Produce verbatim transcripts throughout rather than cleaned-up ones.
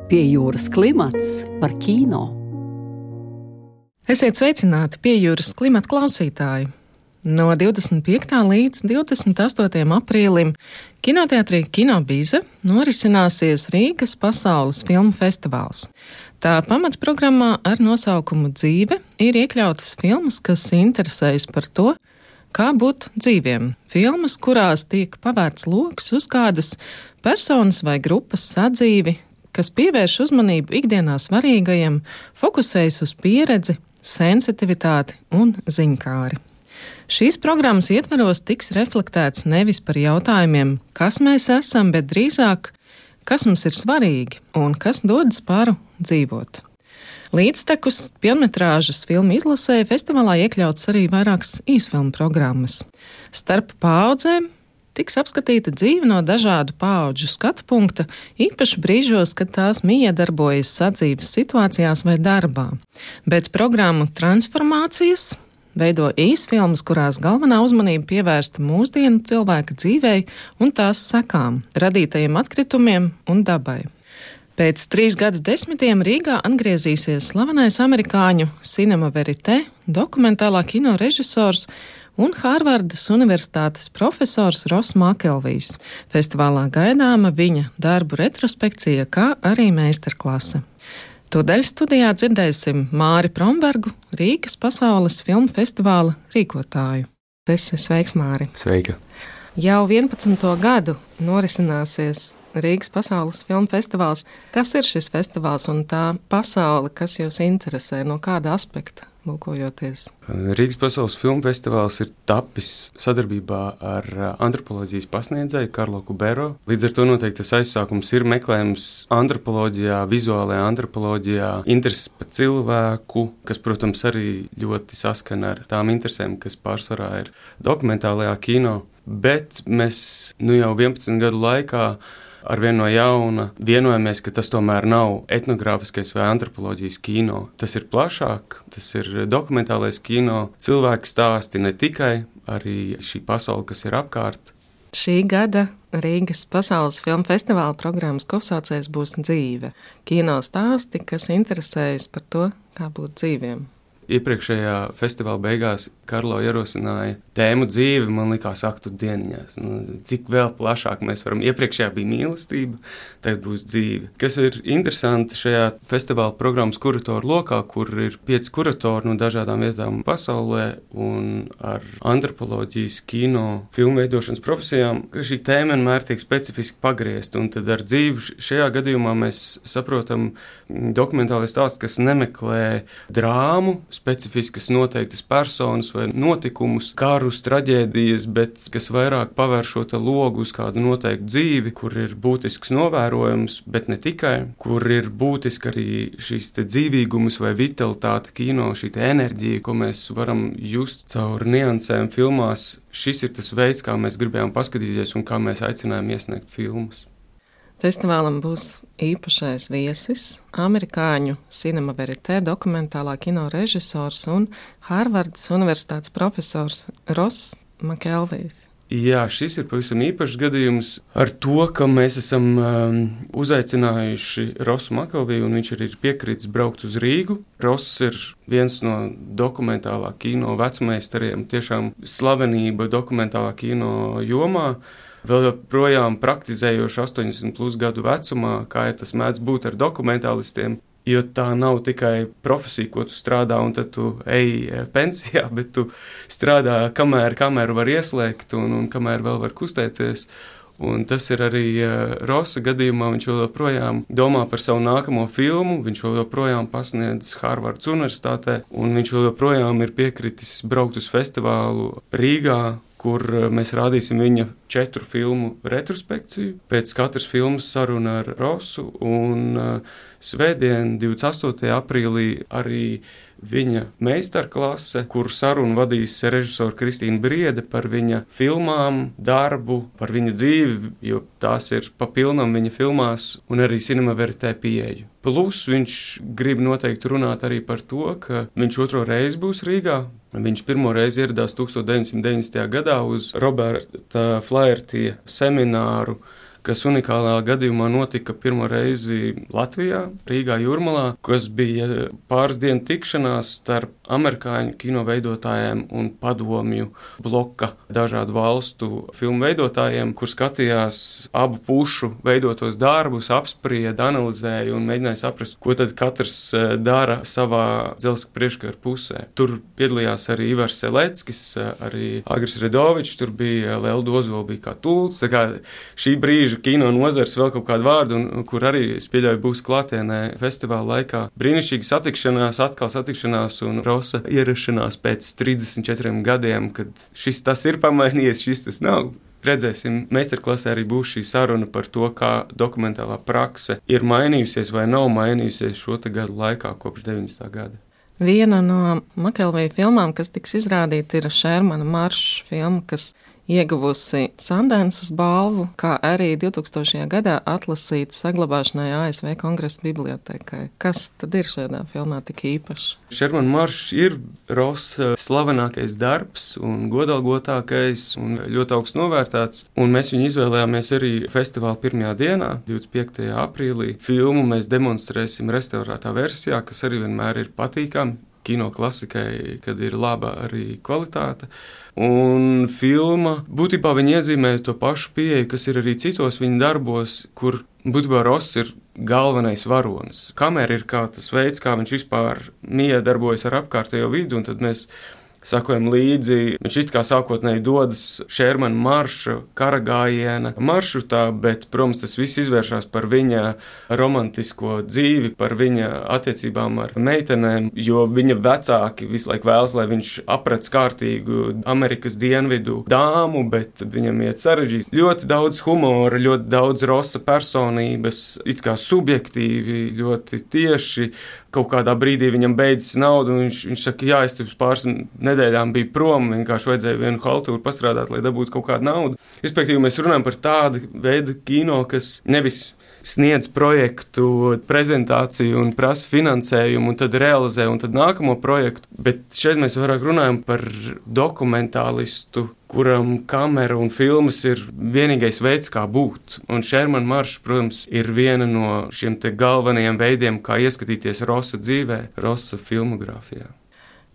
Pie jūras klimats par kino. Esiet sveicināti pie jūras klimata klausītāji. No divdesmit piektā līdz divdesmit astotajam aprīlim kinoteātrī Kinobize norisināsies Rīgas pasaules filmu festivāls. Tā pamatprogrammā ar nosaukumu Dzīve ir iekļautas filmas, kas interesējas par to, kā būt dzīviem. Filmas, kurās tiek pavērts loks uz kādas personas vai grupas sadzīvi, kas pievērš uzmanību ikdienā svarīgajam, fokusējas uz pieredzi, sensitivitāti un ziņkāri. Šīs programmas ietvaros tiks reflektēts nevis par jautājumiem, kas mēs esam, bet drīzāk, kas mums ir svarīgi un kas dod spāru dzīvot. Līdztekus pilnmetrāžas filmu izlasē festivālā iekļauts arī vairākas īsfilmu programmas. Starp paaudzēm tiks apskatīta dzīve no dažādu paudžu skatu punkta, īpaši brīžos, kad tās miedarbojas sadzīves situācijās vai darbā. Bet programmu transformācijas veido īsfilmas, kurās galvenā uzmanība pievērsta mūsdienu cilvēka dzīvei un tās sekām, radītajiem atkritumiem un dabai. Pēc trīs gadu desmitiem Rīgā atgriezīsies slavenais amerikāņu Cinema Verite dokumentālā kino režisors un Hārvardas Universitātes profesors Ross Makelvijs. Festivālā gaidāma viņa darbu retrospekcija, kā arī meistarklase. Tūdaļ studijā dzirdēsim Māri Prombergu, Rīgas pasaules filmu festivāla rīkotāju. Es esmu sveiks, Māri. Sveika. Jau vienpadsmito gadu norisināsies Rīgas pasaules filmu festivāls. Kas ir šis festivāls un tā pasaule, kas jūs interesē, no kāda aspekta lūkojoties? Rīgas pasaules filmu festivāls ir tapis sadarbībā ar antropoloģijas pasniedzēju Karlo Kubero. Līdz ar to noteikti tas aizsākums ir meklējums antropoloģijā, vizuālajā antropoloģijā, intereses par cilvēku, kas, protams, arī ļoti saskana ar tām interesēm, kas pārsvarā ir dokumentālajā kino. Bet mēs nu jau vienpadsmit gadu laikā arvien no jauna vienojamies, ka tas tomēr nav etnogrāfiskais vai antropoloģijas kino. Tas ir plašāk, tas ir dokumentālais kino, cilvēku stāsti ne tikai, arī šī pasaule, kas ir apkārt. Šī gada Rīgas pasaules filmu festivāla programmas kopsaucējs būs Dzīve. Kino stāsti, kas interesējas par to, kā būt dzīviem. Iepriekšējā festivāla beigās Karlo ierosināja tēmu dzīvi, man likās aktu dieniņās. Nu, cik vēl plašāk mēs varam. Iepriekšējā bija mīlestība, tagad būs dzīve. Kas ir interesanti šajā festivāla programmas kuratoru lokā, kur ir pieci kuratori no dažādām vietām pasaulē un ar antropoloģijas, kino, filmu veidošanas profesijām, ka šī tēma vienmēr tiek specifiski pagriezta. Un tad ar dzīvi šajā gadījumā mēs saprotam dokumentālais stāsts, kas nemeklē drāmu, specifiskas noteiktas personas vai notikumus, karus, traģēdijas, bet kas vairāk pavēr šo te logu uz kādu noteiktu dzīvi, kur ir būtisks novērojums, bet ne tikai, kur ir būtiski arī šīs te dzīvīgumus vai vitalitāte kino, šī te enerģija, ko mēs varam just caur niansēm filmās. Šis ir tas veids, kā mēs gribējām paskatīties un kā mēs aicinājām iesniegt filmas. Festivālam būs īpašais viesis, amerikāņu Cinema Verite dokumentālā kino režisors un Hārvardas Universitātes profesors Ross Makelvijs. Jā, šis ir pavisam īpašs gadījums ar to, ka mēs esam um, uzaicinājuši Rossu Makelviju, un viņš arī ir piekritis braukt uz Rīgu. Ross ir viens no dokumentālā kino vecmeistariem, tiešām slavenība dokumentālā kino jomā. Vēl joprojām praktizējoši astoņdesmit plus gadu vecumā, kā ja tas mēdz būt ar dokumentālistiem, jo tā nav tikai profesija, ko tu strādā un tad tu ej pensijā, bet tu strādā, kamēr kameru var ieslēgt un, un kamēr vēl var kustēties. Un tas ir arī Rossa gadījumā, viņš joprojām domā par savu nākamo filmu, viņš joprojām pasniedz Hārvardas Universitātē, un viņš joprojām ir piekritis braukt uz festivālu Rīgā, kur mēs rādīsim viņa četru filmu retrospekciju. Pēc katras filmas saruna ar Rossu, un svētdien, divdesmit astotajā aprīlī, arī viņa meistarklase, kur sarunu vadīs režisora Kristīna Briede par viņa filmām, darbu, par viņa dzīvi, jo tās ir papilnam viņa filmās, un arī Cinema Verite pieeju. Plus viņš grib noteikti runāt arī par to, ka viņš otro reizi būs Rīgā. Viņš pirmo reizi ieradās deviņdesmit deviņdesmitajā gadā uz Roberta Flaherty semināru, kas unikālā gadījumā notika pirmo reizi Latvijā, Rīgā Jūrmalā, kas bija pāris dienu tikšanās starp amerikāņu kino veidotājiem un padomju bloka dažādu valstu filmu veidotājiem, kur skatījās abu pušu veidotos darbus, apsprieda, analizēja un mēģināja saprast, ko tad katrs dara savā dzelzceļa priekškara pusē. Tur piedalījās arī Ivars Seleckis, arī Agris Redovičs, tur bija Lelda Ozola, bija kā tults. Tā kā šī brīža kino nozars vēl kaut kādu vārdu, un, kur arī, es pieļauju, būs klātienē festivāla laikā. Brīnišķīga satikšanās, atkal satikšanās un Rosa ierašanās pēc trīsdesmit četriem gadiem, kad šis tas ir pamainījies, šis tas nav. Redzēsim, meistarklasē arī būs šī saruna par to, kā dokumentālā prakse ir mainījusies vai nav mainījusies šo te gadu laikā kopš deviņdesmitā gada. Viena no Makelvija filmām, kas tiks izrādīta, ir Šermana maršs filma, kas ieguvusi Sandensas balvu, kā arī divtūkstošajā gadā atlasīta saglabāšanai A S V Kongresa bibliotēkai. Kas tad ir šajā filmā tik īpašs? Šermana maršs ir Rosa slavenākais darbs un godalgotākais un ļoti augsts novērtāts, un mēs viņu izvēlējāmies arī festivāla pirmajā dienā, divdesmit piektajā aprīlī. Filmu mēs demonstrēsim restaurētā versijā, kas arī vienmēr ir patīkami. Kino klasikai, kad ir laba arī kvalitāte. Un filma, būtībā viņi iezīmēja to pašu pieeju, kas ir arī citos viņa darbos, kur būtībā Ross ir galvenais varonis. Kamera ir kā tas veids, kā viņš vispār miedarbojas ar apkārtējo vidu, un tad mēs sakojam līdzi. Viņš it kā sākotnēji dodas Šermana marša karagājiena maršrutā, bet, protams, tas viss izvēršās par viņa romantisko dzīvi, par viņa attiecībām ar meitenēm, jo viņa vecāki visu laiku vēlas, lai viņš aprec kārtīgu Amerikas dienvidu dāmu, bet viņam iet sarežģīt. Ļoti daudz humora, ļoti daudz Rosa personības, it kā subjektīvi, ļoti tieši. Kaut kādā brīdī viņam beidzas nauda, un viņš, viņš saka, jā, es pirms pāris nedēļām biju prom, vienkārši vajadzēja vienu haltūru pastrādāt, lai dabūtu kaut kādu naudu. Respektīvi, mēs runājam par tādu veidu kino, kas nevis sniedz projektu prezentāciju un prasa finansējumu, un tad realizē, un tad nākamo projektu, bet šeit mēs vairāk runājam par dokumentālistu, kuram kamera un filmas ir vienīgais veids, kā būt. Un Šermana maršs, protams, ir viena no šiem te galvenajiem veidiem, kā ieskatīties Rosa dzīvē, Rosa filmogrāfijā.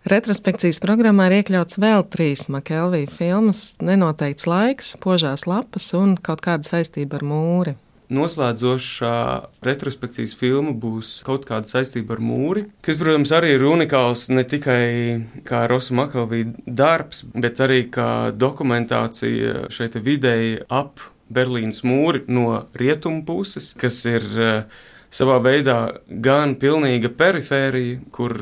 Retrospekcijas programmā ir iekļauts vēl trīs Makelvija filmas, Nenoteikts laiks, Požās lapas un kaut kāda saistība ar mūri. Noslēdzošā retrospekcijas filma būs kaut kāda saistība ar mūri, kas, protams, arī ir unikāls ne tikai kā Rosa Makelvija darbs, bet arī kā dokumentācija šeit videi ap Berlīnas mūri no rietumu puses, kas ir savā veidā gan pilnīga perifērija, kur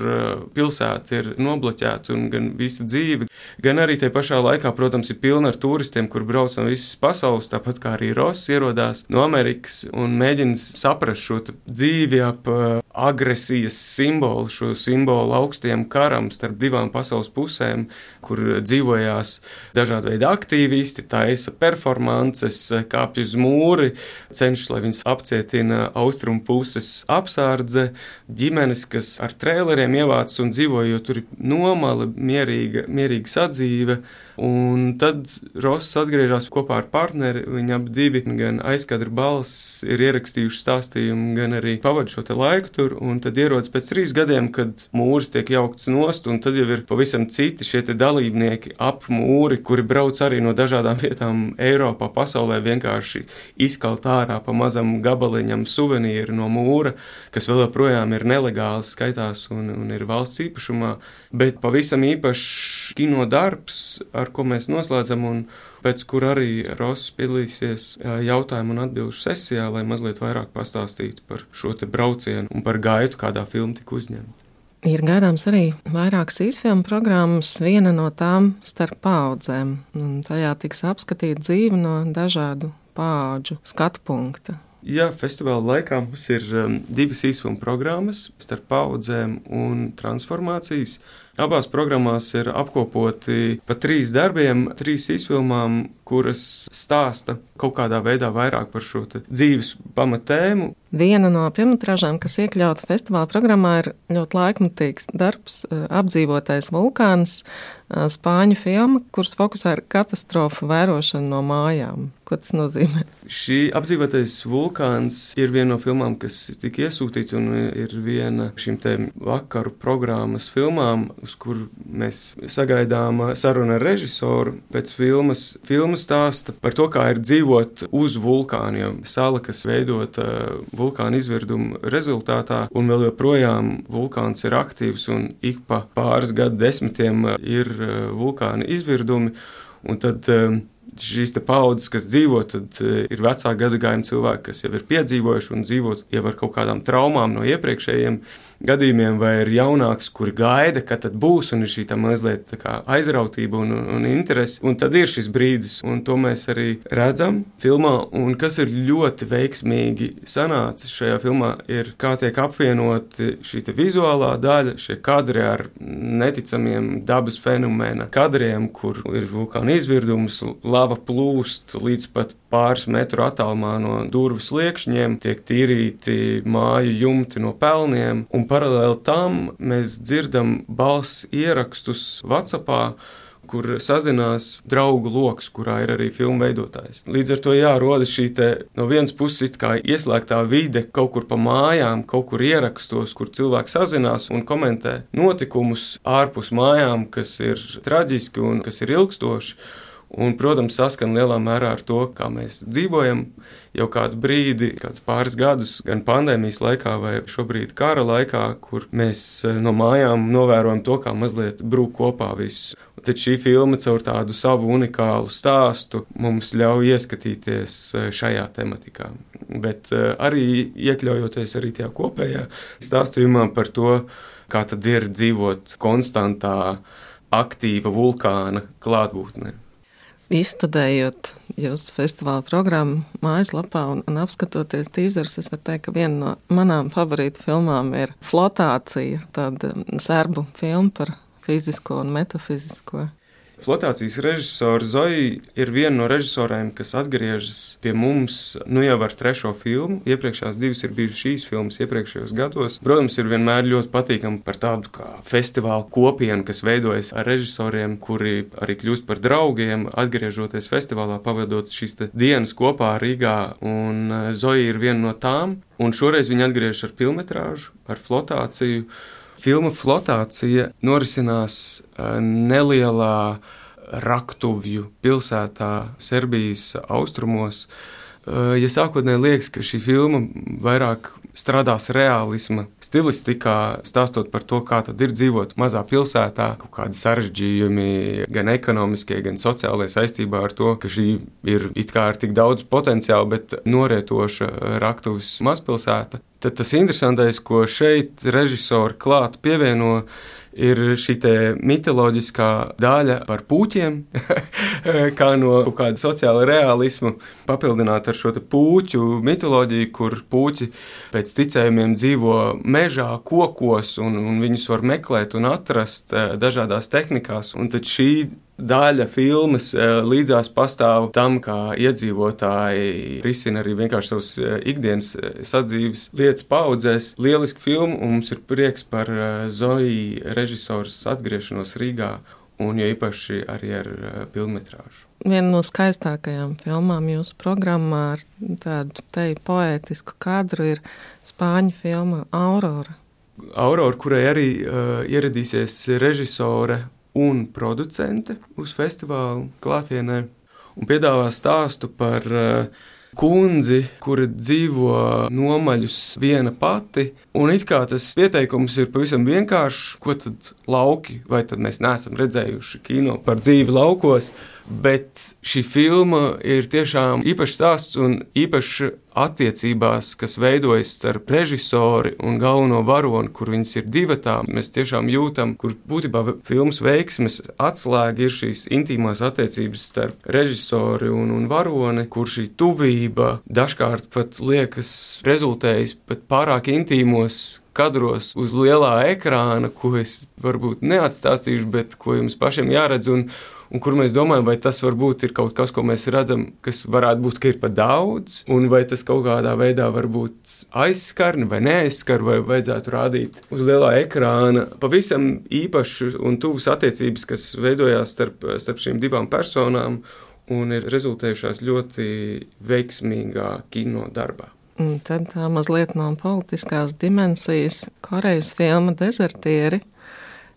pilsēta ir nobloķēta un gan visa dzīve, gan arī te pašā laikā, protams, ir pilna ar turistiem, kur brauc no visas pasaules, tāpat kā arī Ross ierodās no Amerikas un mēģina saprast šo dzīvi ap agresijas simbolu, šo simbolu augstiem karam starp divām pasaules pusēm, kur dzīvojās dažādi veidi aktīvisti, taisa performances, kāpj uz mūri, cenšas, lai viņas apcietina austrumu pusi. Puses apsārdze, ģimenes, kas ar trēleriem ievāc un dzīvo, jo tur ir nomala, mierīga, mierīga sadzīve. Un tad Ross atgriežas kopā ar partneri, viņi abi divi gan aizkadra balss ir ierakstījuši stāstījumu, gan arī pavada šo te laiku tur, un tad ierodas pēc trīs gadiem, kad mūris tiek jaukts nost, un tad jau ir pavisam citi šie te dalībnieki ap mūri, kuri brauc arī no dažādām vietām Eiropā, pasaulē, vienkārši izkalt ārā pa mazam gabaliņam suvenīri no mūra, kas vēl joprojām ir nelegāls, skaitās un, un ir valsts īpašumā, bet pavisam īpašs kino darbs, ar ko mēs noslēdzam, un pēc kur arī Ross piedalīsies jautājumu un atbilžu sesijā, lai mazliet vairāk pastāstītu par šo te braucienu un par gaitu, kādā filma tika uzņemta. Ir gaidāms arī vairākas īsfilmu programmas, viena no tām starp paaudzēm, un tajā tiks apskatīta dzīve no dažādu paudžu skatu punkta. Jā, festivāla laikā mums ir um, divas īsfilmu programmas starp paudzēm un transformācijas. Abās programmās ir apkopoti pa trīs darbiem, trīs izfilmām, kuras stāsta kaut kādā veidā vairāk par šo dzīves pamatēmu. Viena no filmmetrāžām, kas iekļauta festivāla programmā, ir ļoti laikmatīgs darbs Apdzīvotais vulkāns, spāņu filma, kuras fokusā ir katastrofu vērošana no mājām. Ko tas nozīmē? Šī Apdzīvotais vulkāns ir viena no filmām, kas tika iesūtīta un ir viena šīm te vakaru programmas filmām, uz kur mēs sagaidām sarunu ar režisoru. Pēc filmas, filma stāsta par to, kā ir dzīvot uz vulkāna, jo sala, kas veidota vulkāna izvirduma rezultātā, un vēl joprojām vulkāns ir aktīvs un ik pa pāris gadu desmitiem ir vulkāna izvirdumi, un tad šīs te paudzes, kas dzīvo, tad ir vecā gadagājuma cilvēki, kas jau ir piedzīvojuši un dzīvot jau ar kaut kādām traumām no iepriekšējiem gadījumiem, vai ir jaunāks, kuri gaida, ka tad būs, un ir šī tā mazliet tā kā aizrautība un, un, un interesi, un tad ir šis brīdis, un to mēs arī redzam filmā, un kas ir ļoti veiksmīgi sanācis šajā filmā, ir kā tiek apvienoti šī te vizuālā daļa, šie kadri ar neticamiem dabas fenomēna kadriem, kur ir vulkāna izvirdums, lava plūst līdz pat pāris metru attālumā no durvis liekšņiem, tiek tīrīti māju jumti no pelniem, un paralēli tam mēs dzirdam balss ierakstus WhatsAppā, kur sazinās draugu loks, kurā ir arī filmu veidotājs. Līdz ar to jārodas šī te no vienas puses it kā ieslēgtā vide kaut kur pa mājām, kaut kur ierakstos, kur cilvēki sazinās un komentē notikumus ārpus mājām, kas ir traģiski un kas ir ilgstoši. Un, protams, saskan lielā mērā ar to, kā mēs dzīvojam jau kādu brīdi, kādus pāris gadus, gan pandēmijas laikā vai šobrīd kara laikā, kur mēs no mājām novērojam to, kā mazliet brūk kopā viss. Un tad šī filma caur tādu savu unikālu stāstu mums ļauj ieskatīties šajā tematikā. Bet arī iekļaujoties arī tajā kopējā stāstījumā par to, kā tad ir dzīvot konstantā, aktīva vulkāna klātbūtnē. Izstudējot jūsu festivāla programmu mājaslapā un, un apskatoties tīzerus, es varu teikt, ka viena no manām favorītu filmām ir Flotācija, tāda serbu filma par fizisko un metafizisko. Flotācijas režisora Zoja ir viena no režisoriem, kas atgriežas pie mums nu jau ar trešo filmu. Iepriekšējās divas ir bijušas šīs filmas iepriekšējos gados. Protams, ir vienmēr ļoti patīkami par tādu kā festivālu kopienu, kas veidojas ar režisoriem, kuri arī kļūst par draugiem, atgriežoties festivālā, pavadot šīs dienas kopā Rīgā. Un Zoja ir viena no tām, un šoreiz viņa atgriežas ar filmetrāžu, ar Flotāciju. Filma Flotācija norisinās nelielā raktuvju pilsētā Serbijas austrumos. Ja sākotnēji liekas, ka šī filma vairāk strādās reālisma stilistikā, stāstot par to, kā tad ir dzīvot mazā pilsētā, kaut kādi sarežģījumi gan ekonomiskie, gan sociālajie saistībā ar to, ka šī ir it kā ar tik daudz potenciālu, bet norietoša raktuves mazpilsēta. Tad tas interesantais, ko šeit režisori klāt pievieno, ir šī te mitoloģiskā daļa par pūķiem, kā no kāda sociāla realisma papildināt ar šo te pūķu mitoloģiju, kur pūķi pēc ticējumiem dzīvo mežā, kokos, un, un viņus var meklēt un atrast dažādās tehnikās. Un tad šī daļa filmas līdzās pastāv tam, kā iedzīvotāji risina arī vienkārši savus ikdienas sadzīves lietas paudzēs. Lieliski filma, un mums ir prieks par Zoja režisors atgriešanos Rīgā, un jo īpaši arī ar filmmetrāžu. Viena no skaistākajām filmām jūsu programmā ar tādu te poētisku kadru ir spāņu filma Aurora. Aurora, kurai arī uh, ieradīsies režisore un producente uz festivālu klātienē, un piedāvā stāstu par uh, kundzi, kura dzīvo nomaļus viena pati, un it kā tas pieteikums ir pavisam vienkāršs, ko tad lauki, vai tad mēs neesam redzējuši kino par dzīvi laukos, Bet šī filma ir tiešām īpašs stāsts un īpašs attiecībās, kas veidojas starp režisori un galveno varoni, kur viņas ir divatā. Mēs tiešām jūtam, kur būtībā filmas veiksmes atslēga ir šīs intīmās attiecības starp režisori un, un varoni, kur šī tuvība dažkārt pat liekas rezultējas pat pārāk intīmos kadros uz lielā ekrāna, ko es varbūt neatstāstīšu, bet ko jums pašiem jāredz, un, un kur mēs domājam, vai tas varbūt ir kaut kas, ko mēs redzam, kas varētu būt, ka ir pa daudz, un vai tas kaut kādā veidā varbūt aizskarni vai neaizskar, vai vajadzētu rādīt uz lielā ekrāna pavisam īpašu un tuvas attiecības, kas veidojās starp, starp šīm divām personām un ir rezultējušās ļoti veiksmīgā kino darbā. Un tad tā mazliet no politiskās dimensijas Korejas filma Dezertieri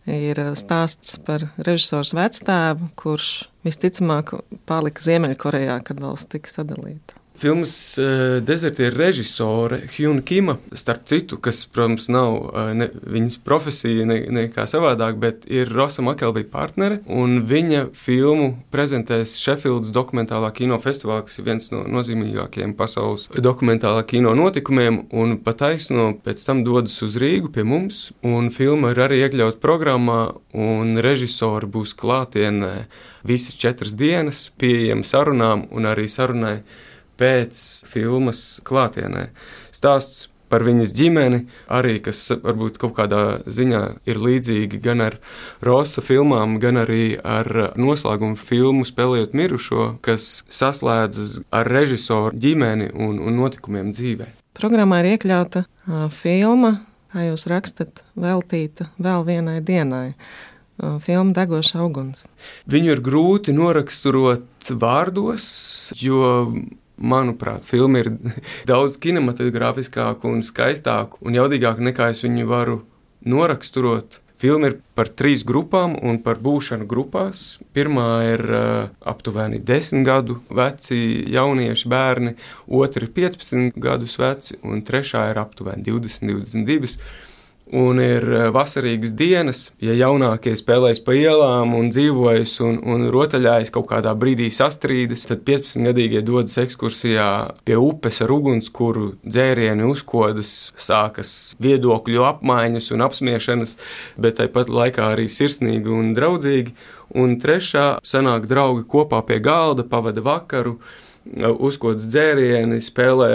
ir stāsts par režisors vectēvu, kurš visticamāk palika Ziemeļkorejā, kad valsts tika sadalīta. Filmas uh, Dezertieri režisore Hyun Kima, starp citu, kas, protams, nav uh, ne, viņas profesija ne, nekā savādāk, bet ir Rosa Makelvija partnere, un viņa filmu prezentēs Sheffieldas dokumentālā kino festivālā, kas ir viens no nozīmīgākajiem pasaules dokumentālā kino notikumiem, un pataisno pēc tam dodas uz Rīgu pie mums, un filma ir arī iekļaut programmā, un režisori būs klātienē visas četras dienas, pieejami sarunām un arī sarunai pēc filmas klātienē. Stāsts par viņas ģimeni, arī, kas varbūt kaut kādā ziņā ir līdzīgi gan ar Rosa filmām, gan arī ar noslēgumu filmu Spēlējot mirušo, kas saslēdzas ar režisoru ģimeni un, un notikumiem dzīvē. Programmā ir iekļauta uh, filma, kā jūs rakstat, veltīta vēl vienai dienai. Uh, filma Degošs auguns. Viņu ir grūti noraksturot vārdos, jo manuprāt, filma ir daudz kinematogrāfiskāka un skaistāka un jaudīgāka nekā es viņu varu noraksturot. Filma ir par trīs grupām un par būšanu grupās. Pirmā ir uh, aptuveni desmit gadu veci jaunieši bērni, otra ir piecpadsmit gadus veci un trešā ir aptuveni divdesmit, divdesmit divi. Un ir vasarīgas dienas, ja jaunākie spēlējas pa ielām un dzīvojas un, un rotaļājas kaut kādā brīdī sastrīdas, tad piecpadsmitgadīgie dodas ekskursijā pie upes ar ugunskura, dzērieni uzkodas, sākas viedokļu apmaiņas un apsmiešanas, bet tāpat laikā arī sirsnīgi un draudzīgi. Un trešā sanāk draugi kopā pie galda, pavada vakaru, uzkodas dzērieni, spēlē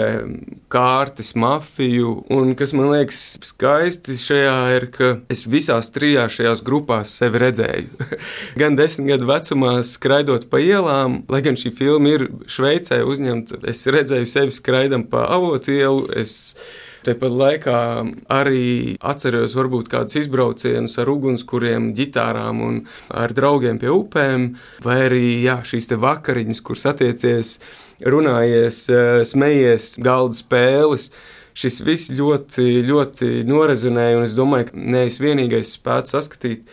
kārtas, mafiju, un kas man liekas skaisti šajā ir, ka es visās trijās šajās grupās sevi redzēju. Gan desmit gadu vecumā skraidot pa ielām, lai gan šī filma ir Šveicē uzņemta, es redzēju sevi skraidam pa Avotielu, es Tāpat laikā arī atceros varbūt kādus izbraucienus ar ugunskuriem, ģitārām un ar draugiem pie upēm, vai arī jā, šīs te vakariņas, kur satiecies, runājies, smejies, galda spēles. Šis viss ļoti, ļoti norezonēja, un es domāju, ka ne es vienīgais spētu saskatīt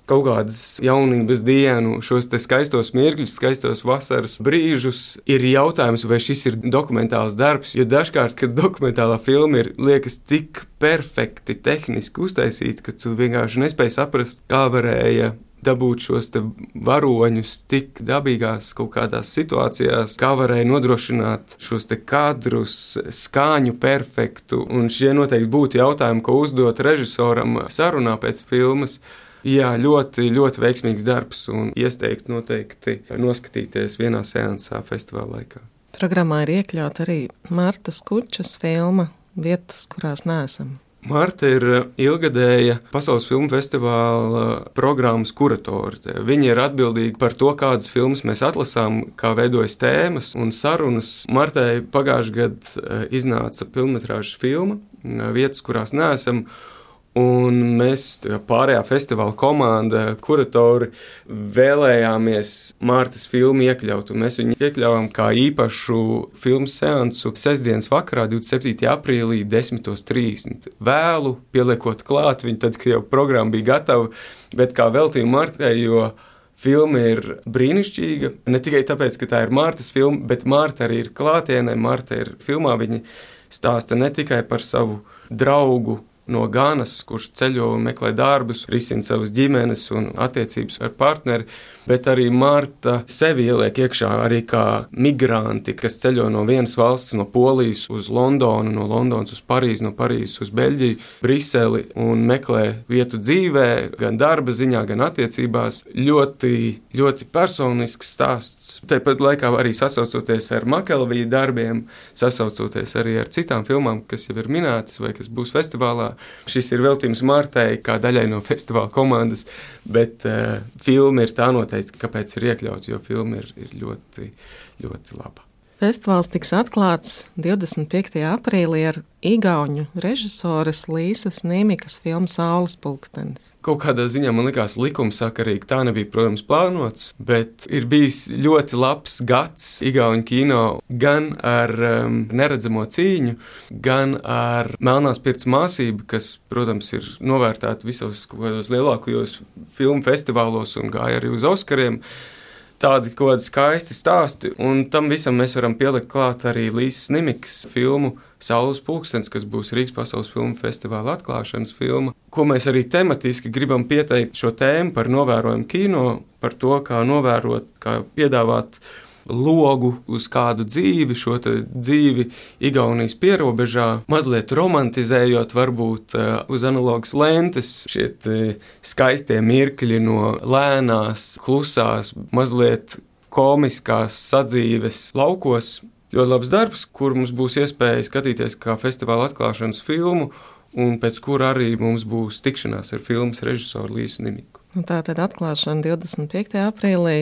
kaut kādas jaunības dienu, šos te skaistos mirkļus, skaistos vasaras brīžus. Ir jautājums, vai šis ir dokumentāls darbs, jo dažkārt, kad dokumentālā filma ir, liekas tik perfekti tehniski uztaisīta, ka tu vienkārši nespēji saprast, kā varēja dabūt šos te varoņus tik dabīgās kaut kādās situācijās, kā varēja nodrošināt šos te kadrus, skaņu perfektu, un šie noteikti būtu jautājumi, ko uzdot režisoram sarunā pēc filmas. Jā, ļoti, ļoti veiksmīgs darbs un ieteiktu noteikti noskatīties vienā seansā festivāla laikā. Programmā ir iekļauta arī Martas Kučas filma Vietas, kurās neesam. Marta ir ilgadēja Pasaules filmu festivāla programmas kuratore. Viņa ir atbildīga par to, kādas filmas mēs atlasām, kā veidojas tēmas un sarunas. Martai pagājušajā gadā iznāca filmmetrāžas filma Vietas, kurās neesam. Un mēs, pārējā festivāla komanda, kuratori, vēlējāmies Martas filmu iekļaut. Un mēs viņu iekļāvām kā īpašu filmu seansu sestdienas vakarā, divdesmit septītajā aprīlī, desmit trīsdesmit. Vēlu, pieliekot klāt viņu, tad, kad jau programma bija gatava, bet kā veltījumu Martai, jo filma ir brīnišķīga. Ne tikai tāpēc, ka tā ir Martas filma, bet Marta arī ir klātienē. Marta ir filmā, viņa stāsta ne tikai par savu draugu, no Ganas, kurš ceļo un meklē darbus, risina savas ģimenes un attiecības ar partneri, bet arī Marta sevi ieliek iekšā arī kā migranti, kas ceļo no vienas valsts, no Polijas uz Londonu, no Londonas uz Parīzi, no Parīzes uz Beļģiju, Briseli un meklē vietu dzīvē, gan darba ziņā, gan attiecībās. Ļoti, ļoti personisks stāsts. Tāpat laikā arī sasaucoties ar Makelvija darbiem, sasaucoties arī ar citām filmām, kas jau ir minētas vai kas būs festivālā. Šis ir veltījums Martai kā daļai no festivāla komandas, bet uh, filma ir tā noteikti, kāpēc ir iekļauts, jo filma ir, ir ļoti, ļoti laba. Festivāls tiks atklāts divdesmit piektajā aprīlī ar igauņu režisoras Līsas Nīmikas filmu Saules pulkstenis. Kaut kādā ziņā man likās likumsakarīgi, tā nebija, protams, plānots, bet ir bijis ļoti labs gads igauņu kino gan ar um, neredzamo cīņu, gan ar Melnās pirts māsību, kas, protams, ir novērtēta visos kaut kādos lielākajos filmu festivālos un gāja arī uz Oskariem. Tādi kaut kādi skaisti stāsti, un tam visam mēs varam pielikt klāt arī Līsas Nīmikas filmu Saules pulkstenis, kas būs Rīgas pasaules filmu festivāla atklāšanas filma, ko mēs arī tematiski gribam pieteikt šo tēmu par novērojumu kino, par to, kā novērot, kā piedāvāt logu uz kādu dzīvi, šo dzīvi Igaunijas pierobežā, mazliet romantizējot varbūt uz analogas lentes šie skaistie mirkļi no lēnās, klusās, mazliet komiskās sadzīves laukos. Ļoti labs darbs, kur mums būs iespēja skatīties kā festivāla atklāšanas filmu, un pēc kura arī mums būs tikšanās ar filmas režisoru Līsu Nīmiku. Nu, tā tad atklāšana divdesmit piektajā aprīlī.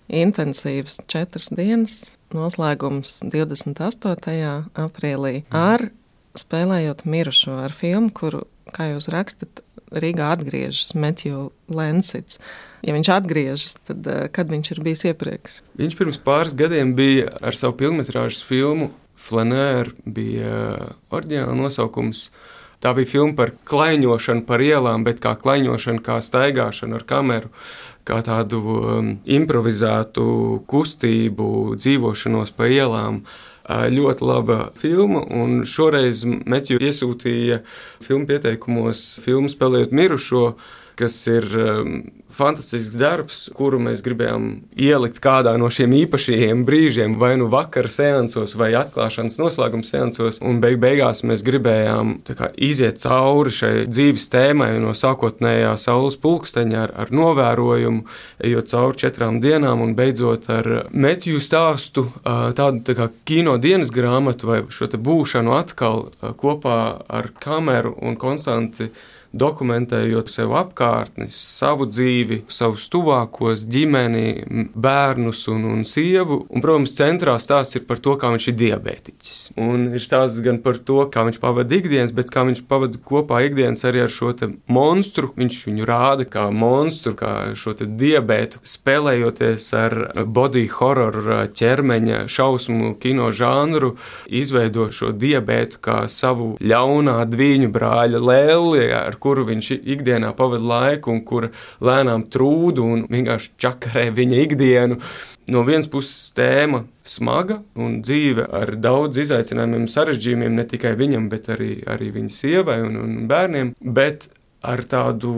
Intensīvs četras dienas, noslēgums divdesmit astotajā aprīlī ar spēlējot mirušo, ar filmu, kuru, kā jūs rakstat, Rīgā atgriežas Matthew Lensits. Ja viņš atgriežas, tad kad viņš ir bijis iepriekš? Viņš pirms pāris gadiem bija ar savu pilnmetrāžas filmu Flanēr, bija oriģināla nosaukums. Tā bija filma par klaiņošanu par ielām, bet kā klaiņošanu, kā staigāšanu ar kameru, kā tādu um, improvizētu kustību, dzīvošanos pa ielām. Uh, ļoti laba filma, un šoreiz Matthew iesūtīja filmu pieteikumos filmu Spēlējot mirušo, kas ir um, fantastisks darbs, kuru mēs gribējām ielikt kādā no šiem īpašajiem brīžiem, vai nu vakara seansos, vai atklāšanas noslēguma seansos, un beig beigās mēs gribējām tā kā iziet cauri šai dzīves tēmai no sākotnējā Saules pulksteņa ar, ar novērojumu, ejot cauri četrām dienām un beidzot ar Matthew stāstu, tādu tā kā kino dienas grāmatu vai šo te būšanu atkal kopā ar kameru un konstanti dokumentējot sev apkārtni, savu dzīvi, savus tuvākos, ģimeni, bērnus un, un sievu. Un, protams, centrā stāsts ir par to, kā viņš ir diabētiķis. Un ir stāsts gan par to, kā viņš pavada ikdienas, bet kā viņš pavada kopā ikdienas arī ar šo te monstru. Viņš viņu rāda kā monstru, kā šo te diabētu, spēlējoties ar body horror ķermeņa šausmu kino žanru, izveido šo diabētu kā savu ļaunā dviņu brāļa lēli, ar kuru viņš ikdienā pavada laiku un kura lēnām trūdu un vienkārši čakarē viņa ikdienu. No vienas puses tēma smaga un dzīve ar daudz izaicinājumiem, sarežģījumiem ne tikai viņam, bet arī, arī viņa sievai un, un bērniem, bet ar tādu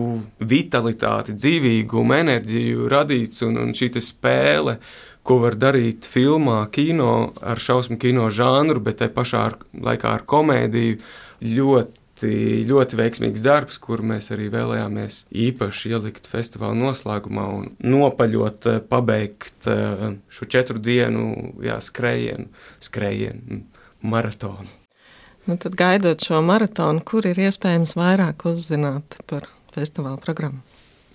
vitalitāti, dzīvīgumu, enerģiju radīts un, un šī te spēle, ko var darīt filmā, kino, ar šausmu kino žanru, bet tai pašā ar, laikā ar komēdiju, ļoti ļoti veiksmīgs darbs, kuru mēs arī vēlējāmies īpaši ielikt festivāla noslēgumā un nopaļot, pabeigt šo četru dienu jā, skrējienu, skrējienu, maratonu. Nu, tad gaidot šo maratonu, kur ir iespējams vairāk uzzināt par festivāla programmu?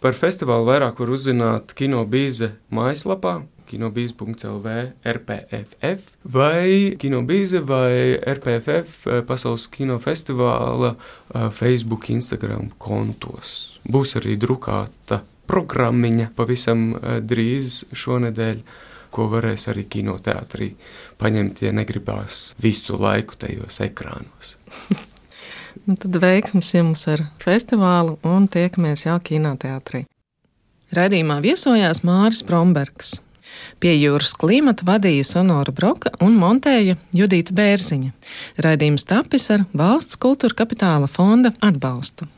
Par festivālu vairāk var uzzināt Kino Bīze mājaslapā, kinobīze punkts el vē er pē ef ef vai Kinobīze vai er pē ef ef Pasaules kinofestivāla Facebook, Instagram kontos. Būs arī drukāta programmiņa pavisam drīz šonedēļ, ko varēs arī kinoteātrī paņemt, ja negribās visu laiku tajos ekrānos. Nu, tad veiksmes jums ar festivālu un tiekamies jau kinoteātrī. Raidījumā viesojās Māris Brombergs. Pie jūras klimata vadīja Sonora Broka un montēja Judita Bērziņa. Raidījums tapis ar Valsts kultūra kapitāla fonda atbalstu.